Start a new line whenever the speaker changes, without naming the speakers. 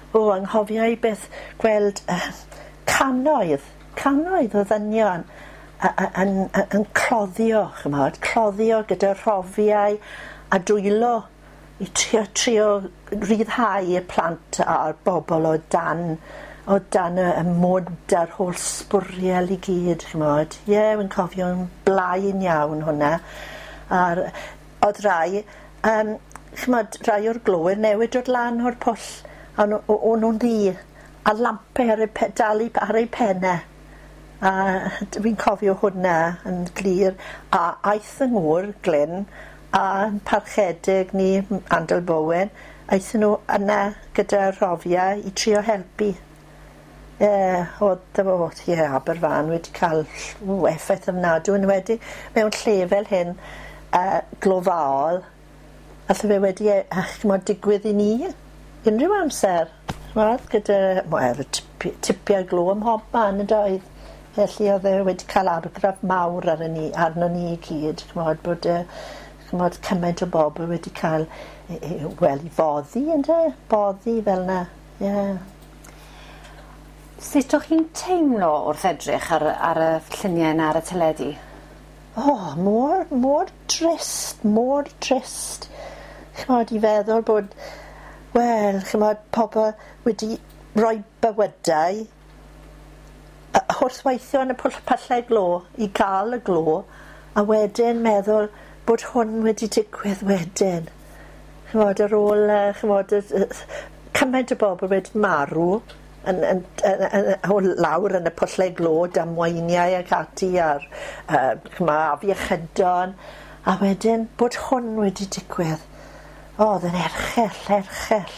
O, anghofio i beth gweld cannoedd, cannoedd o ddynion yn cloddio, ch'mod, cloddio gyda rhofiau a dwylo i trio ryddhau y plant a'r bobl o dan y mwd a'r holl sbwriel i gyd, ch'mod. Ie, wi'n cofio'n blaen iawn hwnna. A'r oedd rai, ch'mod, rai o'r glowyr newydd dod lan o'r pwll, a o'n nhw'n ddu, a lampau ar eu dal ar eu pennau. A fi'n cofio hwnna yn glir. A aeth yng ngŵr, Glyn, a parchedig ni, Andel Bowen, aethon nhw yna gyda rhofiau i trio helpu. Ie, oedd o, ie, Aberfan wedi cael effaith ofnadwy, yn enwedig mewn lle fel hyn, glofaol, alle fe wedi ch'mod, digwydd i ni unrhyw amser, ch'mod, gyda, wel, tipiau glo ym mhob man yn doedd. Felly oedd e wedi cael argraff mawr arno ni i gyd, ch'mod, bod ch'mod, cymaint o bobl wedi cael, wel, i foddi, ynde? Boddi fel 'na, ie. Yeah.
Sut o'ch chi'n teimlo wrth edrych ar y lluniau 'na ar y teledu?
O, oh, mor, mor drist, mor drist. Ch'mod, i feddwl bod, wel, ch'mod, pobl wedi rhoi bywydau wrth weithio yn y pyllau glo i gael y glo, a wedyn meddwl bod hwn wedi digwydd wedyn. Ch'mod, ar ôl, ch'mod, cymaint o bobl wedi marw yn o lawr yn y pyllau glo, damweiniau ac ati a'r ch'mo', afiechydon, a wedyn bod hwn wedi digwydd. O, oedd yn erchyll, erchyll.